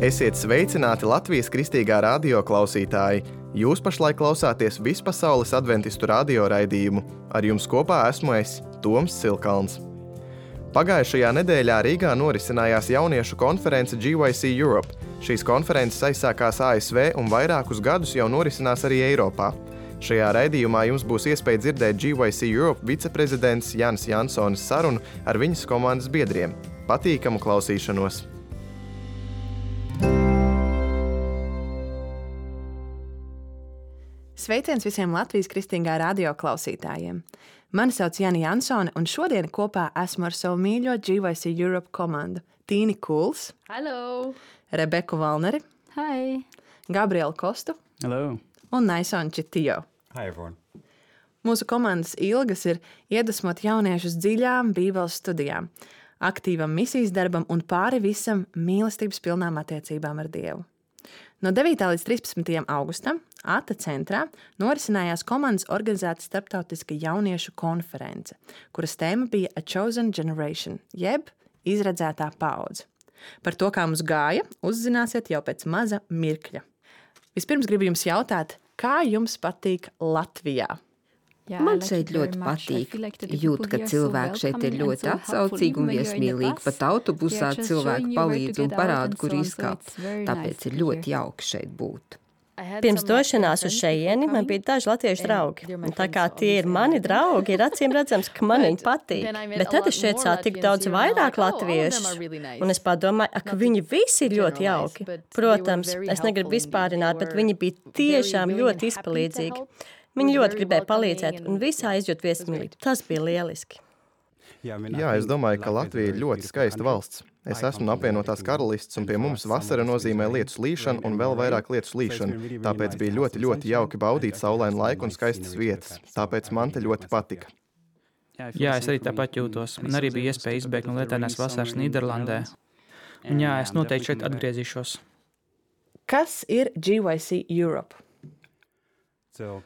Esiet sveicināti Latvijas Kristīgā radio klausītāji! Jūs pašlaik klausāties Vispasaules adventistu radio raidījumu. Ar jums kopā esmu es, Toms Silkalns. Pagājušajā nedēļā Rīgā norisinājās jauniešu konference GYC Europe. Šīs konferences aizsākās ASV un vairākus gadus jau norisinās arī Eiropā. Šajā raidījumā jums būs iespēja dzirdēt GYC Europe viceprezidents Jānis Jansonis sarunu ar viņas komandas biedriem. Patīkamu klausīšanos! Sveiciens visiem Latvijas Kristīgā radio klausītājiem! Mani sauc Jāni Jansone, un šodien kopā esmu ar savu mīļo GYC Europe komandu Tīni Kuls, Hello! Rebeku Valneri, Hi! Gabrielu Kostu Hello! un Naisonu Čitijo. Hi, everyone. Mūsu komandas ilgas ir iedvesmot jauniešus dziļām Bībeles studijām, aktīvam misijas darbam un pāri visam mīlestības pilnām attiecībām ar Dievu. No 9. līdz 13. augustam ATA centrā norisinājās komandas organizēta starptautiska jauniešu konference, kuras tēma bija A Chosen Generation, jeb izredzētā paudze. Par to, kā mums gāja, uzzināsiet jau pēc maza mirkļa. Vispirms gribu jums jautāt, kā jums patīk Latvijā? Man šeit ļoti patīk. Jūt, ka cilvēki šeit ir ļoti atsaucīgi un viesmīlīgi. Pat autobusā cilvēki palīdz un parāda, kur izkāpt. Tāpēc ir ļoti jauki šeit būt. Pirms došanās uz šejieni man bija daži latviešu draugi. Un tā kā tie ir mani draugi, ir acīm redzams, ka man viņi patīk. Bet tad es šeit sāku tik daudz vairāk latviešus. Un es padomāju, ka viņi visi ir ļoti jauki. Protams, es negribu vispārināt, bet viņi bija tiešām ļoti izpalīdzīgi. Viņi ļoti gribēja palīdzēt un visā izjūt viesmīlību. Tas bija lieliski. Jā, es domāju, ka Latvija ir ļoti skaista valsts. Es esmu no apvienotās karalists, un pie mums vasara nozīmē lietus līšanu un vēl vairāk lietus līšanu. Tāpēc bija ļoti, ļoti jauki baudīt saulainu laiku un skaistas vietas. Tāpēc man te ļoti patika. Jā, es arī tāpat jūtos. Man arī bija iespēja izbēgt no lietainās vasaras Nīderlandē. Un jā, es noteikti šeit atgriezīšos. Kas ir GYC Europe?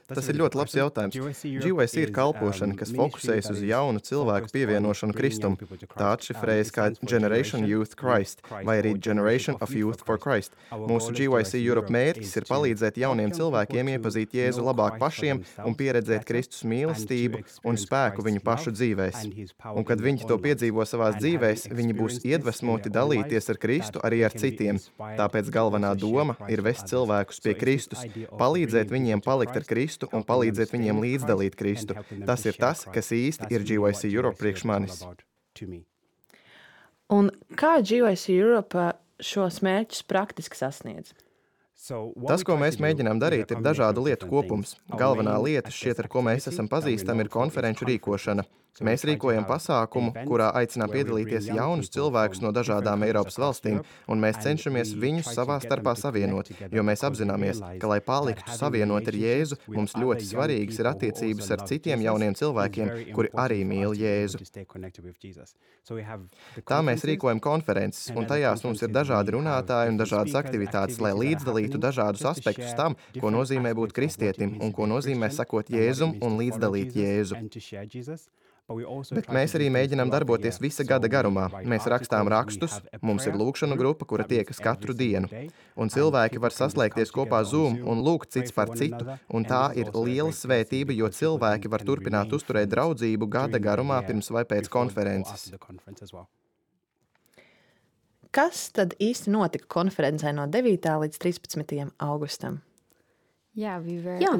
Tas ir ļoti labs jautājums. GYC ir kalpošana, kas fokusējas uz jaunu cilvēku pievienošanu Kristum. Tā atšifrējas kā Generation Youth Christ vai arī Generation of Youth for Christ. Mūsu GYC Europe mērķis ir palīdzēt jauniem cilvēkiem iepazīt Jēzu labāk pašiem un pieredzēt Kristus mīlestību un spēku viņu pašu dzīvēs. Un kad viņi to piedzīvo savās dzīvēs, viņi būs iedvesmoti dalīties ar Kristu arī ar citiem. Tāpēc galvenā doma ir vest cilvēkus pie Kristus, palīdzēt viņiem palikt ar Kristu un palīdzēt viņiem līdzdalīt Kristu. Tas ir tas, kas īsti ir GYC Europe priekš manis. Un kā GYC Europe šos mērķus praktiski sasniedz? Tas, ko mēs mēģinām darīt, ir dažādu lietu kopums. Galvenā lieta, šķiet, ar ko mēs esam pazīstami, ir konferenču rīkošana. Mēs rīkojam pasākumu, kurā aicinām piedalīties jaunus cilvēkus no dažādām Eiropas valstīm, un mēs cenšamies viņus savā starpā savienot, jo mēs apzināmies, ka, lai paliktu savienot ar Jēzu, mums ļoti svarīgas ir attiecības ar citiem jauniem cilvēkiem, kuri arī mīl Jēzu. Tā mēs rīkojam konferences, un tajās mums ir dažādi runātāji un dažādas aktivitātes, lai līdzdalītu dažādus aspektus tam, ko nozīmē būt kristietim un ko nozīmē sakot Jēzum un līdzdalīt Jēzu. Bet mēs arī mēģinām darboties visa gada garumā. Mēs rakstām rakstus, mums ir lūgšanu grupa, kura tiekas katru dienu. Un cilvēki var saslēgties kopā Zoom un lūgt cits par citu, un tā ir liela svētība, jo cilvēki var turpināt uzturēt draudzību gada garumā pirms vai pēc konferences. Kas tad īsti notika konferencē no 9. līdz 13. augustam? Jā,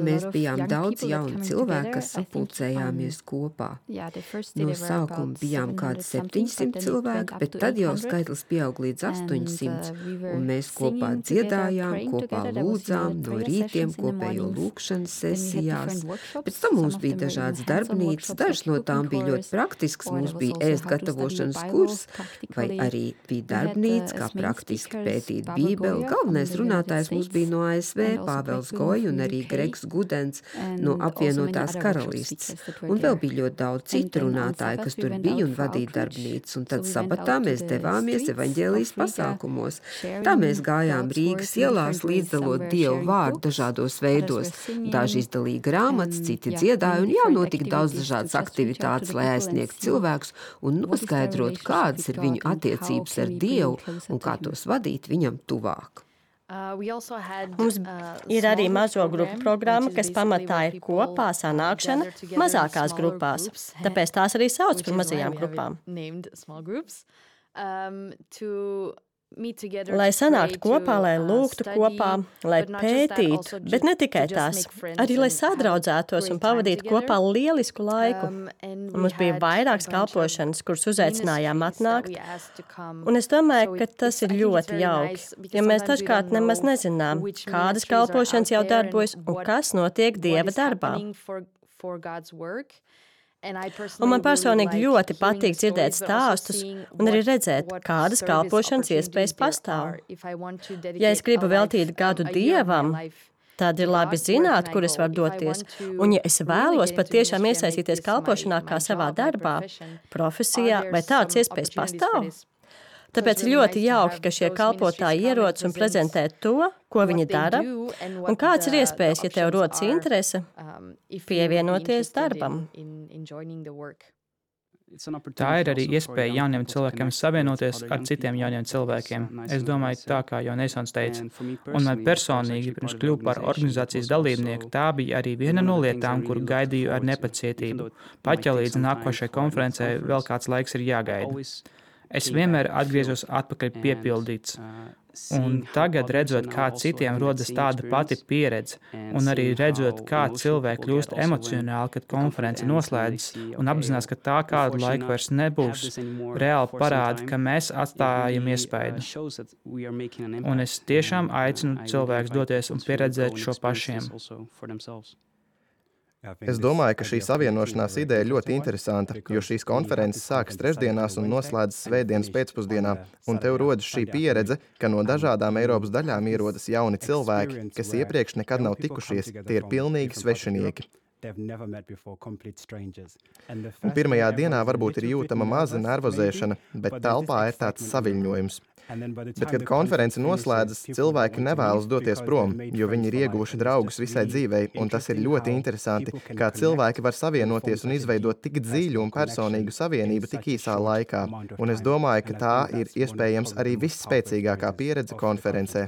mēs bijām daudz jauni cilvēki, kas sapulcējāmies kopā. No sākuma bijām kādi 700 cilvēki, bet tad jau skaitlis pieaug līdz 800, un mēs kopā dziedājām, kopā lūdzām, no rītiem kopējo lūkšanas sesijās. Pēc tam mums bija dažādas darbnīcas, dažas no tām bija ļoti praktiskas, mums bija ēst gatavošanas kurs, vai arī bija darbnīca, kā praktiski pētīt Bībeli. Galvenais runātājs mums bija no ASV, Pāvels Goja, Lai un arī Gregs Gudens no apvienotās karalists. Un vēl bija ļoti daudz citu runātāju, kas tur bija un vadīja darbnīcas. Un tad sabatā mēs devāmies evaņģēlijas pasākumos. Tā mēs gājām Rīgas ielās, līdzdalot Dievu vārdu dažādos veidos. Daži izdalīja grāmatas, citi dziedāja, un jau notika daudz dažādas aktivitātes, lai aizsniegtu cilvēkus un noskaidrotu, kādas ir viņu attiecības ar Dievu un kā tos vadīt viņam tuvāk. Mums ir arī mazo grupu programma, kas pamatā ir kopā sanākšana mazākās grupās. Tāpēc tās arī sauc par mazajām grupām. Lai sanāktu kopā, lai lūgtu kopā, lai pētītu, bet ne tikai tās, arī lai sadraudzētos un pavadītu kopā lielisku laiku. Un mums bija vairākas kalpošanas, kuras uzaicinājām atnākt, un es domāju, ka tas ir ļoti jauki, jo mēs dažkārt nemaz nezinām, kādas kalpošanas jau darbojas un kas notiek Dieva darbā. Un man personīgi ļoti patīk dzirdēt stāstus un arī redzēt, kādas kalpošanas iespējas pastāv. Ja es gribu veltīt gadu Dievam, tad ir labi zināt, kur es varu doties. Un ja es vēlos patiešām iesaistīties kalpošanā kā savā darbā, profesijā, vai tādas iespējas pastāv? Tāpēc ļoti jauki, ka šie kalpotāji ierodas un prezentē to, ko viņi dara, un kāds ir iespējas, ja tev rodas interese, pievienoties darbam. Tā ir arī iespēja jauniem cilvēkiem savienoties ar citiem jauniem cilvēkiem. Es domāju, tā kā jau Neisons teica. Un man personīgi, pirms kļuvu par organizācijas dalībnieku, tā bija arī viena no lietām, kuru gaidīju ar nepacietību. Pat ja līdz nākošai konferencei vēl kāds laiks ir jāgaida. Es vienmēr atgriezos atpakaļ piepildīts. Un tagad, redzot, kā citiem rodas tāda pati pieredze, un arī redzot, kā cilvēki kļūst emocionāli, kad konference noslēdzas, un apzinās, ka tā kādu laiku vairs nebūs, reāli parāda, ka mēs atstājam iespaidu. Un es tiešām aicinu cilvēkus doties un pieredzēt šo pašiem. Es domāju, ka šī savienošanās ideja ir ļoti interesanta, jo šīs konferences sākas trešdienās un noslēdzas svētdienas pēcpusdienā, un tev rodas šī pieredze, ka no dažādām Eiropas daļām ierodas jauni cilvēki, kas iepriekš nekad nav tikušies, tie ir pilnīgi svešinieki. Un pirmajā dienā varbūt ir jūtama maza nervozēšana, bet telpā ir tāds saviļņojums. Bet, kad konference noslēdzas, cilvēki nevēlas doties prom, jo viņi ir ieguvuši draugus visai dzīvei, un tas ir ļoti interesanti, kā cilvēki var savienoties un izveidot tik dziļu un personīgu savienību tik īsā laikā. Un es domāju, ka tā ir iespējams arī visspēcīgākā pieredze konferencē.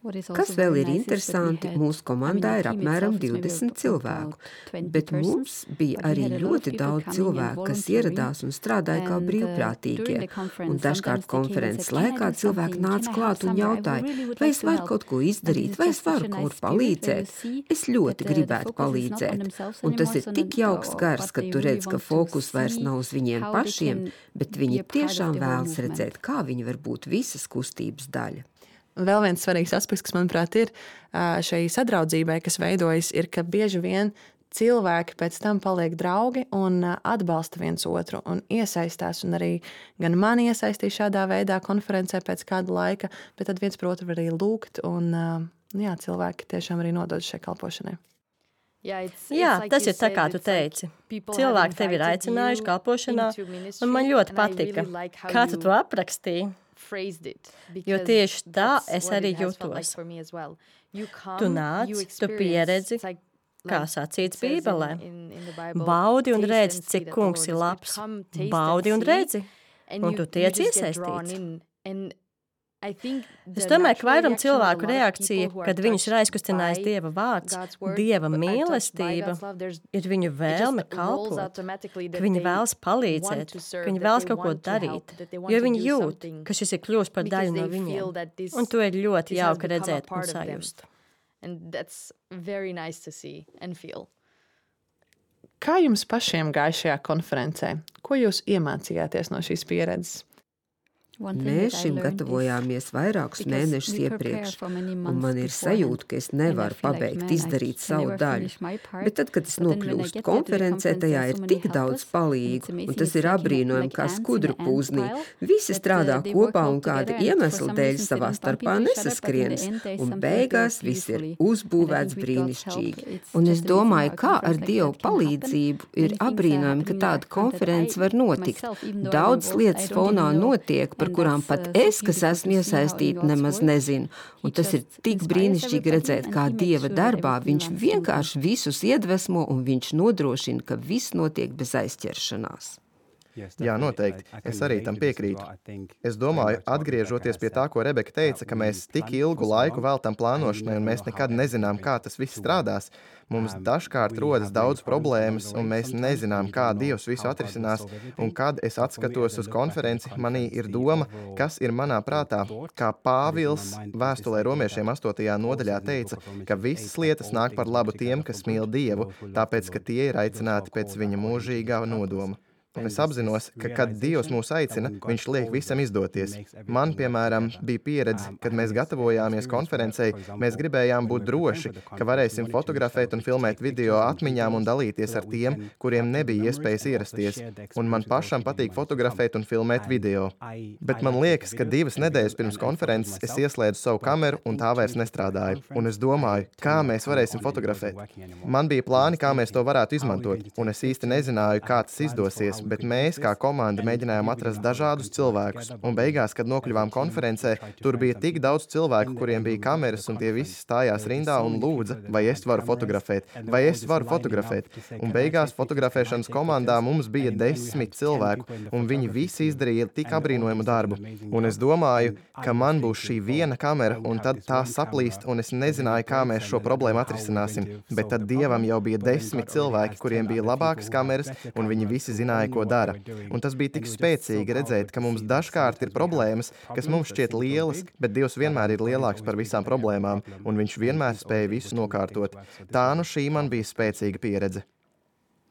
Kas vēl ir interesanti, mūsu komandā ir apmēram 20 cilvēku, bet mums bija arī ļoti daudz cilvēku, kas ieradās un strādāja kā brīvprātīgie. Un dažkārt konferences laikā cilvēki nāca klāt un jautāja, vai es varu kaut ko izdarīt, vai es varu kaut kur palīdzēt. Es ļoti gribētu palīdzēt. Un tas ir tik jauks gars, kad tu redz, ka fokus vairs nav uz viņiem pašiem, bet viņi tiešām vēlas redzēt, kā viņi var būt visas kustības daļa. Vēl viens svarīgs aspekts, kas, manuprāt, ir šai sadraudzībai, kas veidojas, ir, ka bieži vien cilvēki pēc tam paliek draugi un atbalsta viens otru un iesaistās. Un arī gan mani iesaistīja šādā veidā konferencē pēc kāda laika, bet tad viens par otru var arī lūgt un cilvēki tiešām arī nodod šai kalpošanai. Jā, tas ir tā, kā tu teici. Cilvēki tevi ir aicinājuši kalpošanā, un man ļoti patika, kā tu to aprakstīji. Jo tieši tā es arī jūtos. Tu nāc, tu pieredzi, kā sacīts Bībelē. Baudi un redzi, cik kungs ir labs. Baudi un redzi, un tu tiec iesaistīts. Es domāju, ka vairuma cilvēku reakcija, kad viņus ir aizkustinājis Dieva vārds, Dieva mīlestība, ir viņu vēlme kalpot, ka viņi vēlas palīdzēt, ka viņi vēlas kaut ko darīt, jo viņi jūt, ka šis ir kļūst par daļu no viņiem. Un to ir ļoti jauki redzēt un sajust. Kā jums pašiem gāja šajā konferencē? Ko jūs iemācījāties no šīs pieredzes? Mēs šim gatavojāmies vairākus mēnešus iepriekš, un man ir sajūta, ka es nevaru pabeigt izdarīt savu daļu. Bet tad, kad es nokļūstu konferencē, tajā ir tik daudz palīgu, un tas ir apbrīnojami kā skudru pūznī. Visi strādā kopā un kāda iemesla dēļ savā starpā nesaskrienas, un beigās viss ir uzbūvēts brīnišķīgi. Un es domāju, kā ar Dievu palīdzību ir apbrīnojami, ka tāda konference var notikt. Daudz lietas fonā notiek, par kurām pat es, kas esmu iesaistīta, nemaz nezinu. Un tas ir tik brīnišķīgi redzēt, kā Dieva darbā viņš vienkārši visus iedvesmo un viņš nodrošina, ka viss notiek bez aizķeršanās. Jā, noteikti. Es arī tam piekrītu. Es domāju, atgriežoties pie tā, ko Rebeka teica, ka mēs tik ilgu laiku veltam plānošanai un mēs nekad nezinām, kā tas viss strādās. Mums dažkārt rodas daudz problēmas, un mēs nezinām, kā Dievs visu atrisinās. Un kad es atskatos uz konferenci, manī ir doma, kas ir manā prātā. Kā Pāvils vēstulē romiešiem 8. nodaļā teica, ka visas lietas nāk par labu tiem, kas mīl Dievu, tāpēc, ka tie ir aicināti pēc viņa mūžīgā nodoma. Un es apzinos, ka, kad Dievs mūs aicina, viņš liek visam izdoties. Man, piemēram, bija pieredze, kad mēs gatavojāmies konferencei, mēs gribējām būt droši, ka varēsim fotografēt un filmēt video atmiņām un dalīties ar tiem, kuriem nebija iespējas ierasties. Un man pašam patīk fotografēt un filmēt video. Bet man liekas, ka 2 nedēļas pirms konferences es ieslēdzu savu kameru un tā vairs nestrādāja. Un es domāju, kā mēs varēsim fotografēt. Man bija plāni, kā mēs to varētu izmantot, un es īsti nezināju, kā tas izdosies. Bet mēs, kā komanda, mēģinājām atrast dažādus cilvēkus. Un beigās, kad nokļuvām konferencē, tur bija tik daudz cilvēku, kuriem bija kameras, un tie visi stājās rindā un lūdza, vai es varu fotografēt, vai es varu fotografēt. Un beigās fotografēšanas komandā mums bija 10 cilvēku, un viņi visi izdarīja tik apbrīnojamu darbu. Un es domāju, ka man būs šī viena kamera, un tad tā saplīst, un es nezināju, kā mēs šo problēmu atrisināsim. Bet tad Dievam jau bija 10 cilvēki, kuriem bija labākas kameras, un viņi visi zināja, ko dara. Un tas bija tik spēcīgi redzēt, ka mums dažkārt ir problēmas, kas mums šķiet lielas, bet Dievs vienmēr ir lielāks par visām problēmām, un viņš vienmēr spēja visu nokārtot. Tā nu šī man bija spēcīga pieredze.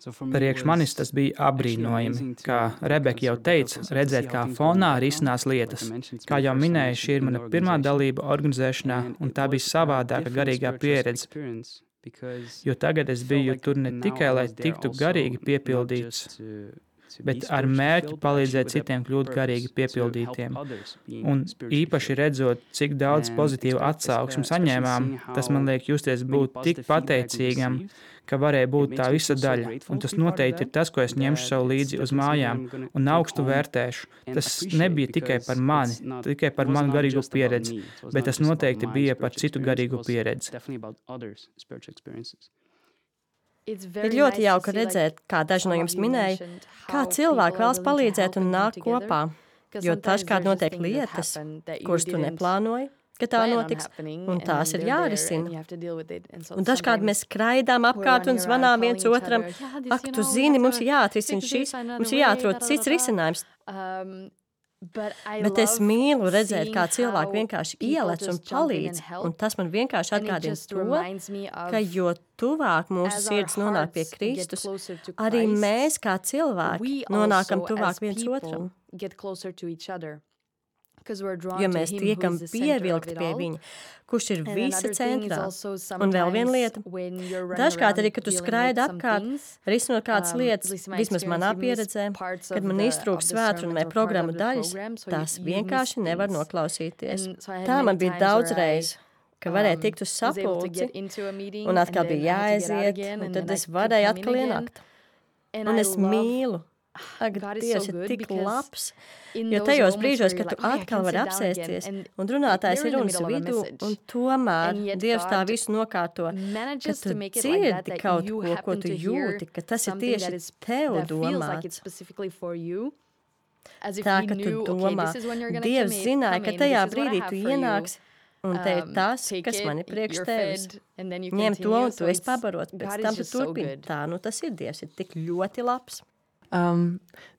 Priekš manis tas bija apbrīnojami. Kā Rebeka jau teica, redzēt, kā fonā risinās lietas. Kā jau minēju, šī ir mana pirmā dalība organizēšanā, un tā bija savādāka garīgā pieredze. Jo tagad es biju tur ne tikai, lai tiktu garīgi piepildīts, bet ar mērķi palīdzēt citiem kļūt garīgi piepildītiem. Un īpaši redzot, cik daudz pozitīvu atsauksmi saņēmām, tas man liek justies būt tik pateicīgam, ka varēja būt tā visa daļa. Un tas noteikti ir tas, ko es ņemšu sev līdzi uz mājām un augstu vērtēšu. Tas nebija tikai par mani, tikai par manu garīgo pieredzi, bet tas noteikti bija par citu garīgu pieredzi. Ir ļoti jauki redzēt, kā daži no jums minēja, kā cilvēki vēlas palīdzēt un nāk kopā, jo dažkārt notiek lietas, kuras tu neplānoji, ka tā notiks, un tās ir jārisina. Un dažkārt mēs skraidām apkārt un zvanām viens otram, ak, tu zini, mums ir jāatrisina šis, mums ir jāatrod cits risinājums. Bet es mīlu redzēt, kā cilvēki vienkārši ielec un palīdz, un tas man vienkārši atgādina to, ka jo tuvāk mūsu sirds nonāk pie Kristus, arī mēs kā cilvēki nonākam tuvāk viens otram. Jo mēs tiekam pievilkti pie viņa, kurš ir visa centrā. Un vēl viena lieta. Dažkārt arī, kad tu skraidi apkārt, risinot kādas lietas, vismaz manā pieredzē, kad man iztrūkst svētkrunu vai programmu daļas, tās vienkārši nevar noklausīties. Tā man bija daudz reiz, ka varēja tikt uz sapulci, un atkal bija jāaiziet, un tad es varēju atkal ienākt. Un es mīlu. Ak, Dievs ir tik labs, jo tajos brīžos, kad tu atkal vari apsēsties un runātājs ir runas vidū, un tomēr Dievs tā visu nokārto, ka tu dzirdi kaut ko, ko tu jūti, ka tas ir tieši tev domāts. Tā, ka tu domā, Dievs zināja, ka tajā brīdī tu ienāks, un te ir tas, kas man ir priekš tevis. Ņem to, un tu esi pabarot, pēc tam tu turpini. Tā, nu tas ir Dievs, ir tik ļoti labs.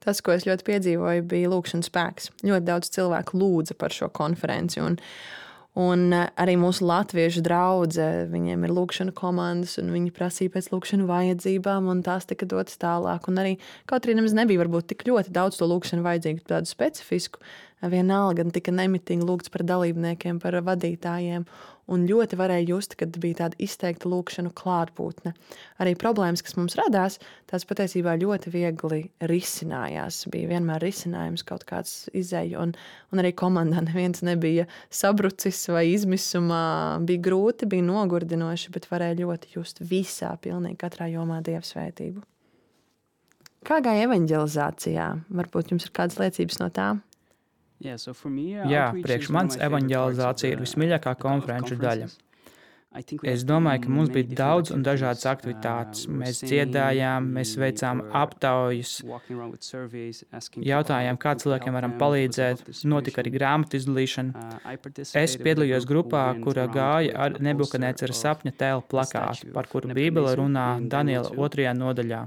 Tas, ko es ļoti piedzīvoju, bija lūkšanas spēks. Ļoti daudz cilvēku lūdza par šo konferenci. Un arī mūsu latviešu draudze, viņiem ir lūkšana komandas, un viņi prasīja pēc lūkšanu vajadzībām, un tās tika dotas tālāk. Un arī, kaut arī nemaz nebija varbūt tik ļoti daudz to lūkšanu vajadzīgu, tādu specifisku, vienalga tika nemitīgi lūgts par dalībniekiem, par vadītājiem, un ļoti varēja just, kad bija tāda izteikta lūkšanu klātbūtne. Arī problēmas, kas mums radās, tās patiesībā ļoti viegli risinājās. Bija vienmēr risinājums, kaut kāds izēja, un arī komandā neviens nebija sabrucis vai izmisumā. Bija grūti, bija nogurdinoši, bet varēja ļoti just visā, pilnīgi katrā jomā Dieva svētību. Kā gāja evanģelizācijā? Varbūt jums ir kādas liecības no tā? Jā, priekš manis evanģelizācija ir vismīļākā konferenču daļa. Es domāju, ka mums bija daudz un dažādas aktivitātes. Mēs dziedājām, mēs veicām aptaujas, jautājām, kā cilvēkiem varam palīdzēt, notika arī grāmatu izdalīšana. Es piedalījos grupā, kura gāja ar Nebukadnecera sapņa tēla plakātu, par kuru Bībele runā Daniela 2. nodaļā.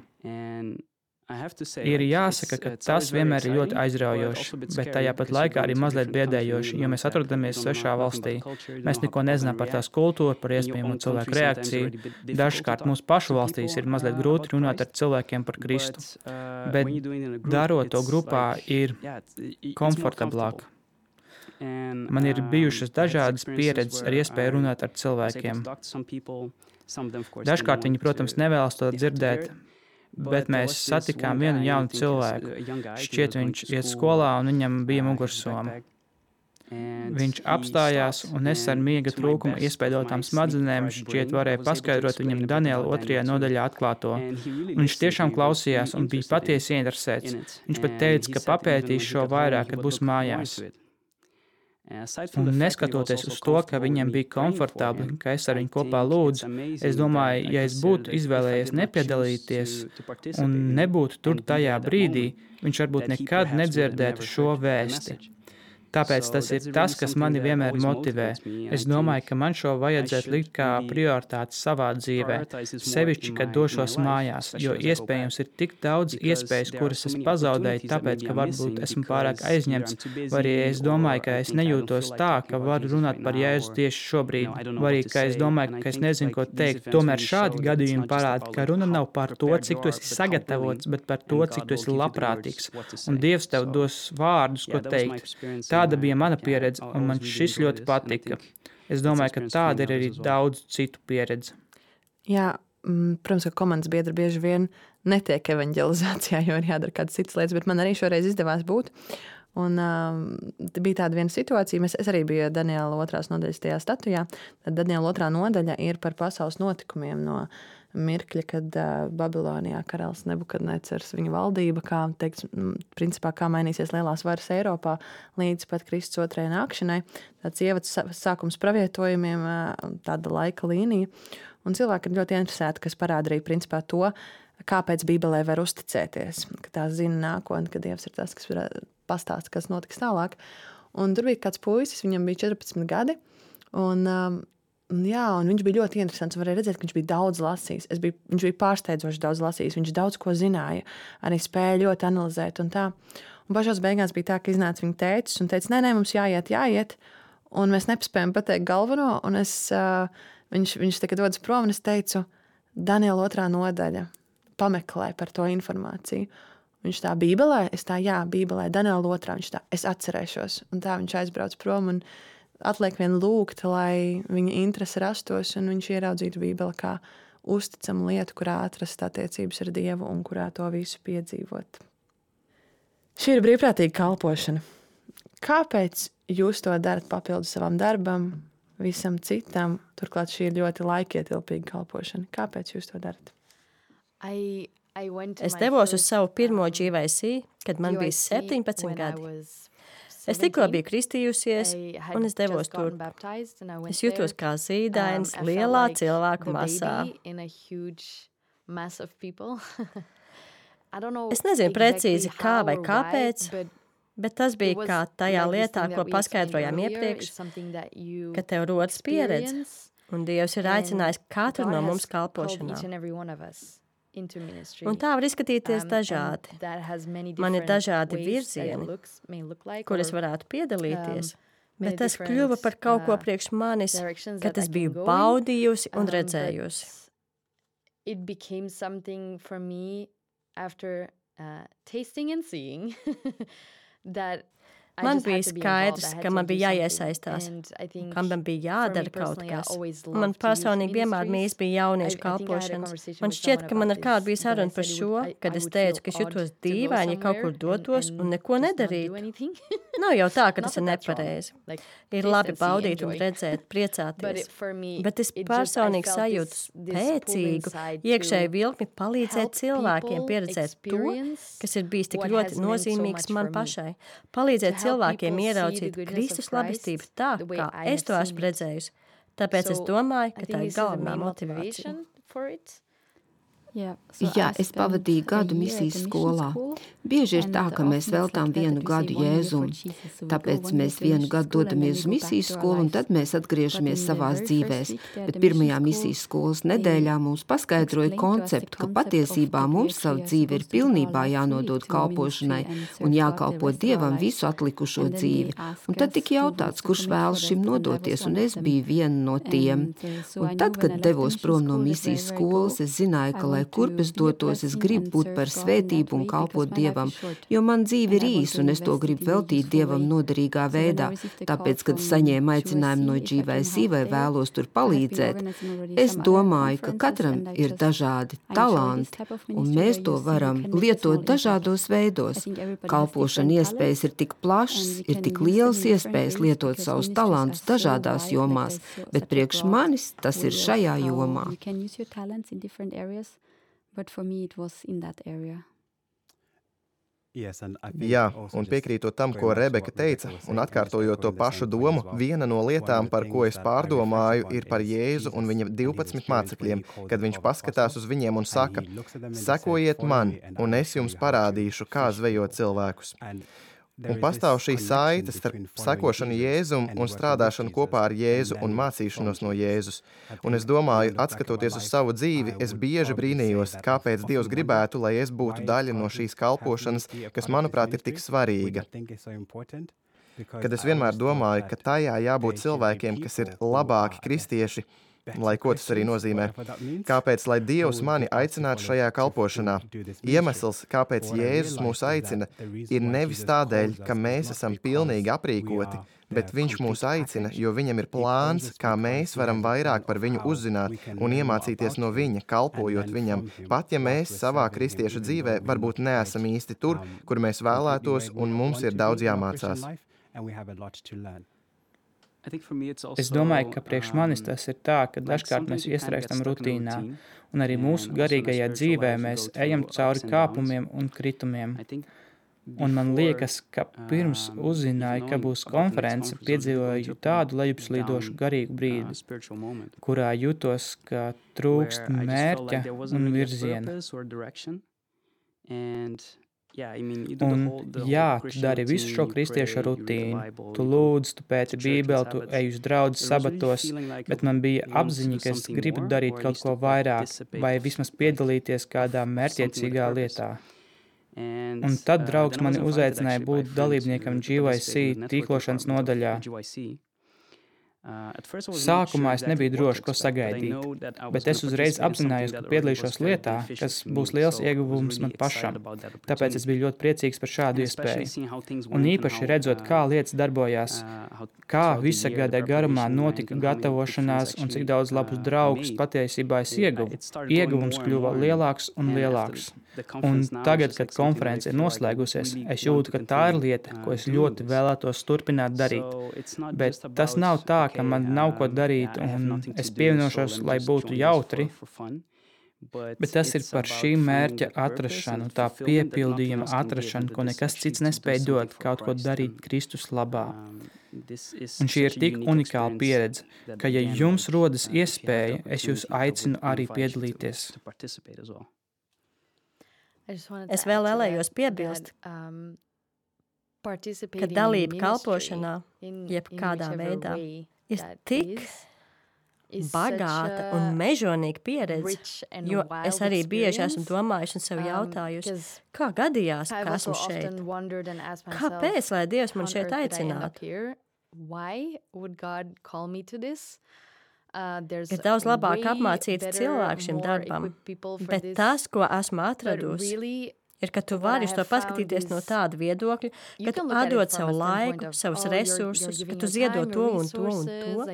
Ir jāsaka, ka tas vienmēr ir ļoti aizraujoši, bet tajā pat laikā arī mazliet biedējoši, jo mēs atrodamies svešā valstī. Mēs neko nezinām par tās kultūru, par iespējamo cilvēku reakciju. Dažkārt mūsu pašu valstīs ir mazliet grūti runāt ar cilvēkiem par Kristu, bet darot to grupā ir komfortablāk. Man ir bijušas dažādas pieredzes ar iespēju runāt ar cilvēkiem. Dažkārt viņi, protams, nevēlas to dzirdēt, bet mēs satikām vienu jaunu cilvēku. Šķiet, viņš iet skolā un viņam bija mugursoma. Viņš apstājās un es ar miega trūkumu iespēdotām smadzenēm šķiet varēja paskaidrot viņam Daniela 2. nodaļā atklāto. Viņš tiešām klausījās un bija patiesi ieinteresēts. Viņš pat teica, ka papētīs šo vairāk, kad būs mājās. Un neskatoties uz to, ka viņam bija komfortabli, ka es ar viņu kopā lūdzu, es domāju, ja es būtu izvēlējies nepiedalīties un nebūtu tur tajā brīdī, viņš varbūt nekad nedzirdētu šo vēsti. Tāpēc tas ir tas, kas mani vienmēr motivē. Es domāju, ka man šo vajadzētu likt kā prioritāti savā dzīvē, sevišķi, kad došos mājās, jo iespējams ir tik daudz iespējas, kuras es pazaudēju, tāpēc, ka varbūt esmu pārāk aizņemts, vai arī es domāju, ka es nejūtos tā, ka varu runāt par Jēzu tieši šobrīd, vai arī, ka es domāju, ka es nezinu, ko teikt. Tomēr šādi gadījumi parāda, ka runa nav par to, cik tu esi sagatavots, bet par to, cik tu esi labprātīgs, un Dievs tev dos vārdus, ko teikt. Tāda bija mana pieredze, un man šis ļoti patika. Es domāju, ka tāda ir arī daudz citu pieredze. Jā, protams, ka komandas biedri bieži vien netiek evanģelizācijā, jo ir jādara kādas citas lietas, bet man arī šoreiz izdevās būt. Un bija tāda viena situācija, es arī biju Daniela 2. nodaļas tajā statujā. Tad Daniela 2. nodaļa ir par pasaules notikumiem no mirkļa, kad Babilonijā karalis Nebukadnecers, viņa valdība, kā teiks, principā, kā mainīsies lielās varas Eiropā līdz pat Kristus 2. nākšanai. Tāds ievads sākums pravietojumiem, tāda laika līnija. Un cilvēki ir ļoti interesēti, kas parāda arī principā to, kāpēc Bībelē var uzticēties, ka tā zina nākotni, ka Dievs ir tas, kas pastāsta, kas notiks tālāk. Un tur bija kāds puisis, viņam bija 14 gadi, un viņš bija ļoti interesants. Varēja redzēt, ka viņš bija daudz lasījis. Viņš bija pārsteidzoši daudz lasījis. Viņš daudz ko zināja, arī spēja ļoti analizēt un tā. Un pašās beigās bija tā, ka iznāca viņa tētis un teica, nē, mums jāiet. Un mēs nespējam pateikt galveno. Un viņš tagad dodas prom un es teicu, Daniela 2. nodaļa, pameklē par to informāciju. Viņš tā Bībelē, Bībelē, Daniela 2. Viņš tā, es atcerēšos. Un tā viņš aizbrauc prom un atliek vien lūgt, lai viņa interese rastos un viņš ieraudzītu Bībeli kā uzticamu lietu, kurā atrast attiecības ar Dievu un kurā to visu piedzīvot. Šī ir brīvprātīga kalpošana. Kāpēc jūs to darat papildus savam darbam, visam citam? Turklāt šī ir ļoti laikietilpīga kalpošana. Kāpēc jūs to darat? Es devos uz savu pirmo GYC, kad man bija 17 gadi. Es tikko biju kristījusies, un es devos tur. Es jutos kā zīdainis lielā cilvēku masā. Es nezinu precīzi kā vai kāpēc, bet tas bija kā tajā lietā, ko paskaidrojām iepriekš, ka tev rodas pieredze, un Dievs ir aicinājis katru no mums kalpošanā. Un tā var izskatīties dažādi. Man ir dažādi virzieni, kur es varētu piedalīties, bet tas kļuva par kaut ko priekš manis, kad es biju baudījusi un redzējusi. It became something for me after tasting and seeing that Man bija skaidrs, ka man bija jāiesaistās, ka man bija jādara kaut kas. Man personīgi vienmēr mīs bija jauniešu kalpošanas. Man šķiet, ka man ar kādu bija saruna par šo, kad es teicu, ka es jutos dīvaini, ja kaut kur dotos un neko nedarītu. Nav jau tā, ka tas ir nepareizi. Ir labi baudīt un redzēt, priecāties. Bet es personīgi sajūtu spēcīgu, iekšēju vilkmi palīdzēt cilvēkiem pieredzēt to, kas ir bijis tik ļoti nozīmīgs man pašai. Palīdzēt cilvēkiem ieraudzīt Kristus labestību tā, kā es to esmu redzējusi. Tāpēc es domāju, ka tā ir galvenā motivācija. Jā, es pavadīju gadu misijas skolā. Bieži ir tā, ka mēs veltām 1 gadu Jēzum. Tāpēc mēs 1 gadu dodamies uz misijas skolu, un tad mēs atgriežamies savās dzīvēs. Bet pirmajā misijas skolas nedēļā mums paskaidroja konceptu, ka patiesībā mums savu dzīvi ir pilnībā jānodod kalpošanai un jākalpo Dievam visu atlikušo dzīvi. Un tad tika jautāts, kurš vēlas šim nodoties, un es biju viena no tiem. Un tad, kad devos prom no misijas skolas, es zināju, ka, lai kurp es dotos, es gribu būt par svētību un kalpot Dievam, jo man dzīve ir īsa un es to gribu veltīt Dievam noderīgā veidā. Tāpēc, kad saņēmu aicinājumu no GYC vai vēlos tur palīdzēt, es domāju, ka katram ir dažādi talanti un mēs to varam lietot dažādos veidos. Kalpošana iespējas ir tik plašas, ir tik lielas iespējas lietot savus talantus dažādās jomās, bet priekš manis tas ir šajā jomā. But for me it was in that area. Jā, un piekrītot tam, ko Rebeka teica, un atkārtojot to pašu domu, viena no lietām, par ko es pārdomāju, ir par Jēzu un viņa 12 mācekļiem, kad viņš paskatās uz viņiem un saka, sekojiet man, un es jums parādīšu, kā zvejot cilvēkus. Un pastāv šī saite starp sekošanu Jēzum un strādāšanu kopā ar Jēzu un mācīšanos no Jēzus. Un es domāju, atskatoties uz savu dzīvi, es bieži brīnījos, kāpēc Dievs gribētu, lai es būtu daļa no šīs kalpošanas, kas, manuprāt, ir tik svarīga. Kad es vienmēr domāju, ka tajā jābūt cilvēkiem, kas ir labāki kristieši, lai ko tas arī nozīmē. Kāpēc, lai Dievs mani aicinātu šajā kalpošanā? Iemesls, kāpēc Jēzus mūs aicina, ir nevis tādēļ, ka mēs esam pilnīgi aprīkoti, bet viņš mūs aicina, jo viņam ir plāns, kā mēs varam vairāk par viņu uzzināt un iemācīties no viņa, kalpojot viņam, pat ja mēs savā kristieša dzīvē varbūt neesam īsti tur, kur mēs vēlētos, un mums ir daudz jāmācās. Es domāju, ka priekš manis tas ir tā, ka dažkārt mēs iestrēgstam rutīnā, un arī mūsu garīgajā dzīvē mēs ejam cauri kāpumiem un kritumiem. Un man liekas, ka pirms uzzināju, ka būs konference, piedzīvoju tādu lejupslīdošu garīgu brīdi, kurā jutos, ka trūkst mērķa un virziena. Un jā, tu dari visu šo kristiešu rutīnu. Tu lūdz, tu pēti Bībeli, tu ej uz draudzes sabatos, bet man bija apziņa, ka es gribu darīt kaut ko vairāk vai vismaz piedalīties kādā mērķiecīgā lietā. Un tad draugs mani uzaicināja būt dalībniekam GYC tīklošanas nodaļā. Sākumā es nebiju droši, ko sagaidīt, bet es uzreiz apzinājos, ka piedalīšos lietā, kas būs liels ieguvums man pašam. Tāpēc es biju ļoti priecīgs par šādu iespēju. Un īpaši redzot, kā lietas darbojās, kā visa gada garumā notika gatavošanās un cik daudz labus draugus patiesībā es ieguvu. Ieguvums kļuva lielāks un lielāks. Un tagad, kad konference ir noslēgusies, es jūtu, ka tā ir lieta, ko es ļoti vēlētos turpināt darīt. Bet tas nav tā, ka man nav ko darīt, un es pievienošos, lai būtu jautri, bet tas ir par šī mērķa atrašanu, tā piepildījuma atrašanu, ko nekas cits nespēja dot, kaut ko darīt Kristus labā. Un šī ir tik unikāla pieredze, ka, ja jums rodas iespēja, es jūs aicinu arī piedalīties. Es vēl vēlējos piebilst, ka dalība kalpošanā, jeb kādā veidā, ir tik bagāta un mežonīga pieredze, jo es arī bieži esmu domājuši un sev jautājuši, kā gadījās, ka esmu šeit? Kāpēc, lai Dievs man šeit aicinātu? Ir daudz labāk apmācīti cilvēki šim darbam, bet tas, ko esmu atradusi, ir, ka tu vari uz to paskatīties no tāda viedokļa, ka tu atdod savu laiku, savus resursus, ka tu ziedo to un to un to.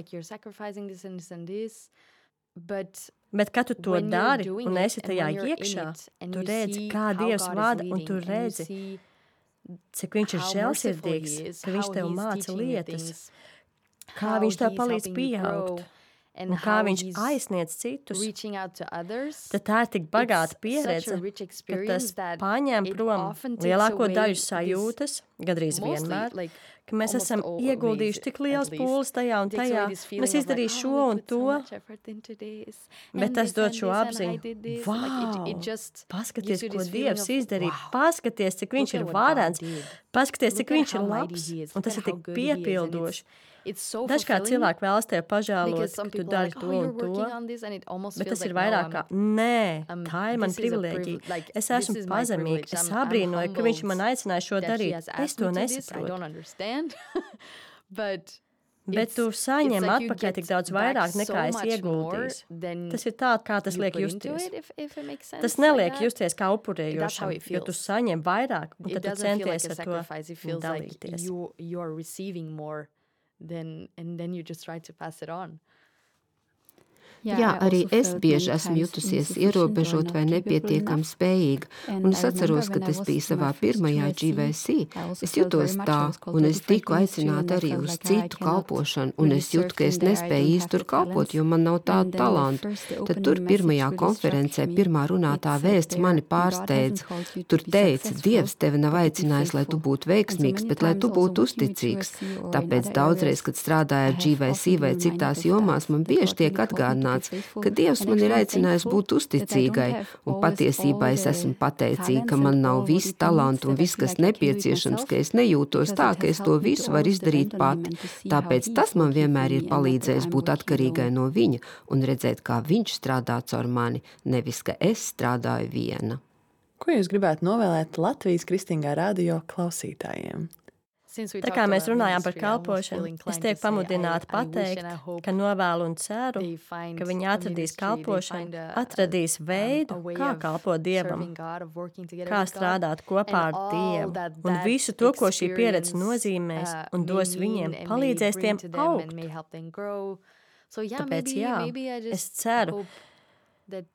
Bet, kad tu to dari un esi tajā iekšā, tu redzi, kā Dievs vada, un tu redzi, cik viņš ir žēlsirdīgs, ka viņš tev māca lietas, kā viņš tev palīdz pieaugt. Un kā viņš aizsniedz citus, tad tā ir tik bagāta pieredze, ka tas paņem prom lielāko daļu sajūtas, gandrīz vienmēr, ka mēs esam ieguldījuši tik liels pūles tajā un tajā, un es izdarīju šo un to, bet tas dod šo apziņu, paskaties, ko Dievs izdarīja, paskaties, cik viņš ir varens, paskaties, cik viņš ir labs, un tas ir tik piepildoši. Dažkārt cilvēki vēlas tev pažēlot, ka tu dari to un to, bet tas ir vairāk kā, nē, tā ir mana privilēģija. Es esmu pazemīga, es abrīnoju, ka viņš man aicināja šo darīt. Es to nesaprotu. Bet tu saņem atpakaļ tik daudz vairāk nekā es ieguldīju. Tas ir tā, kā tas liek justies. Tas neliek justies kā upurējošam, jo tu saņem vairāk, un tad tu centies ar to dalīties. And then you just try to pass it on. Jā, arī es bieži esmu jutusies ierobežot vai nepietiekami spējīga, un es atceros, ka tas bija savā pirmajā GVC. Es jutos tā, un es tiku aicināta arī uz citu kalpošanu, un es jūtu, ka es nespēju īsti tur kalpot, jo man nav tādu talantu. Tad tur pirmajā konferencē pirmā runātā vēsts mani pārsteidz. Tur teica, Dievs tevi nav aicinājis, lai tu būtu veiksmīgs, bet lai tu būtu uzticīgs. Tāpēc daudzreiz, kad strādāju ar GVC vai citās jomās, man bieži tiek atgādināts, ka Dievs man ir aicinājis būt uzticīgai, un patiesībā es esmu pateicīga, ka man nav viss talantu un viss, kas nepieciešams, ka es nejūtos tā, ka es to visu varu izdarīt pati. Tāpēc tas man vienmēr ir palīdzējis būt atkarīgai no viņa un redzēt, kā viņš strādā caur mani, nevis, ka es strādāju viena. Ko jūs gribētu novēlēt Latvijas Kristīgā radio klausītājiem? Tā kā mēs runājām par kalpošanu, es tiek pamudināta pateikt, ka novēlu un ceru, ka viņi atradīs kalpošanu, atradīs veidu, kā kalpot Dievam, kā strādāt kopā ar Dievu, un visu to, ko šī pieredze nozīmēs, un dos viņiem, palīdzēs tiem augt. Tāpēc jā, es ceru,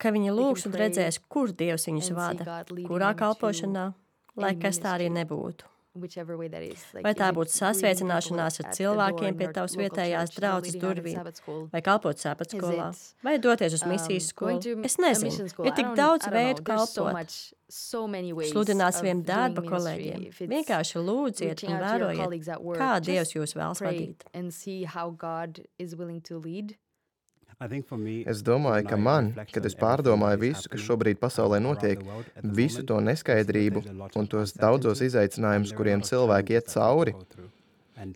ka viņi lūgs un redzēs, kur Dievs viņus vada, kurā kalpošanā, lai kas tā arī nebūtu. Vai tā būtu sasveicināšanās ar cilvēkiem pie tavas vietējās draudzes durvīm, vai kalpot sapatsskolā, vai doties uz misijas skolu. Es nezinu, ir tik daudz veidu kalpot. Sludināt saviem darba kolēģiem. Vienkārši lūdziet un vērojiet, kā Dievs jūs vēlas vadīt. Es domāju, ka man, kad es pārdomāju visu, kas šobrīd pasaulē notiek, visu to neskaidrību un tos daudzos izaicinājumus, kuriem cilvēki iet cauri,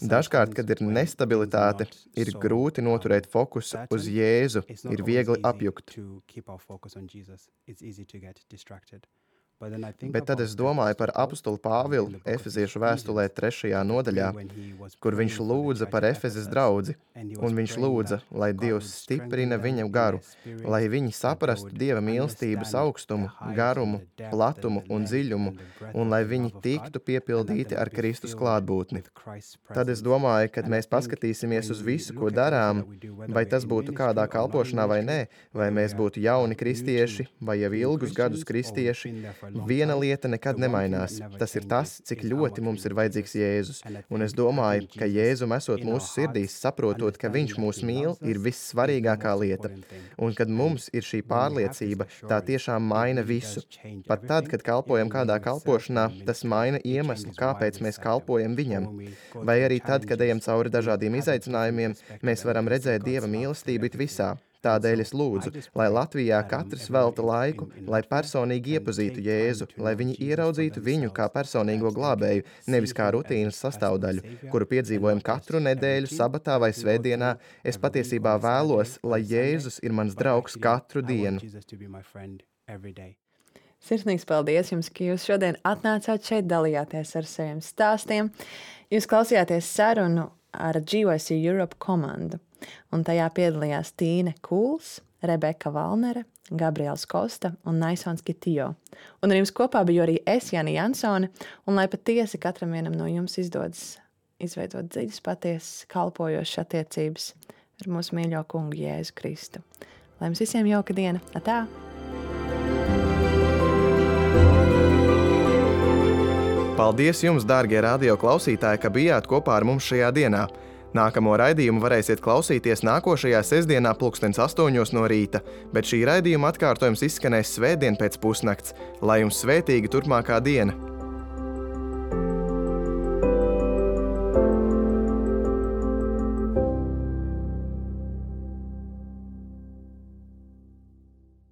dažkārt, kad ir nestabilitāte, ir grūti noturēt fokusu uz Jēzu, ir viegli apjukt. Bet tad es domāju par apostulu Pāvilu Efeziešu vēstulē 3. nodaļā, kur viņš lūdza par Efezes draudzi, un viņš lūdza, lai Dievs stiprina viņa garu, lai viņi saprastu Dieva mīlestības augstumu, garumu, platumu un dziļumu, un lai viņi tiktu piepildīti ar Kristus klātbūtni. Tad es domāju, kad mēs paskatīsimies uz visu, ko darām, vai tas būtu kādā kalpošanā vai nē, vai mēs būtu jauni kristieši, vai jau ilgus gadus kristieši, viena lieta nekad nemainās. Tas ir tas, cik ļoti mums ir vajadzīgs Jēzus. Un es domāju, ka Jēzum esot mūsu sirdīs, saprotot, ka viņš mūs mīl, ir vissvarīgākā lieta. Un kad mums ir šī pārliecība, tā tiešām maina visu. Pat tad, kad kalpojam kādā kalpošanā, tas maina iemeslu, kāpēc mēs kalpojam viņam. Vai arī tad, kad ejam cauri dažādiem izaicinājumiem, mēs varam redzēt Dieva mīlestību it visā. Tādēļ es lūdzu, lai Latvijā katrs velta laiku, lai personīgi iepazītu Jēzu, lai viņi ieraudzītu viņu kā personīgo glābēju, nevis kā rutīnas sastāvdaļu, kuru piedzīvojam katru nedēļu, sabatā vai svētdienā. Es patiesībā vēlos, lai Jēzus ir mans draugs katru dienu. Sirsnīgs paldies jums, ka jūs šodien atnācāt šeit, dalījāties ar saviem stāstiem. Jūs klausījāties sarunu ar GYC Europe komandu. Un tajā piedalījās Tīne Kūls, Rebeka Valnere, Gabriels Kosta un Naisons Kitijo. Un ar jums kopā biju arī es, Jani Jansone, un lai patiesi katram vienam no jums izdodas izveidot dziļas, patiesas, kalpojošas attiecības ar mūsu mīļo kungu Jēzu Kristu. Lai jums visiem jauka diena! Atā! Paldies jums, dārgie radio klausītāji, ka bijāt kopā ar mums šajā dienā. Nākamo raidījumu varēsiet klausīties nākošajā sestdienā 8:00 no rīta, bet šī raidījuma atkārtojums izskanēs svētdien pēc pusnakts. Lai jums svētīga turpmākā diena!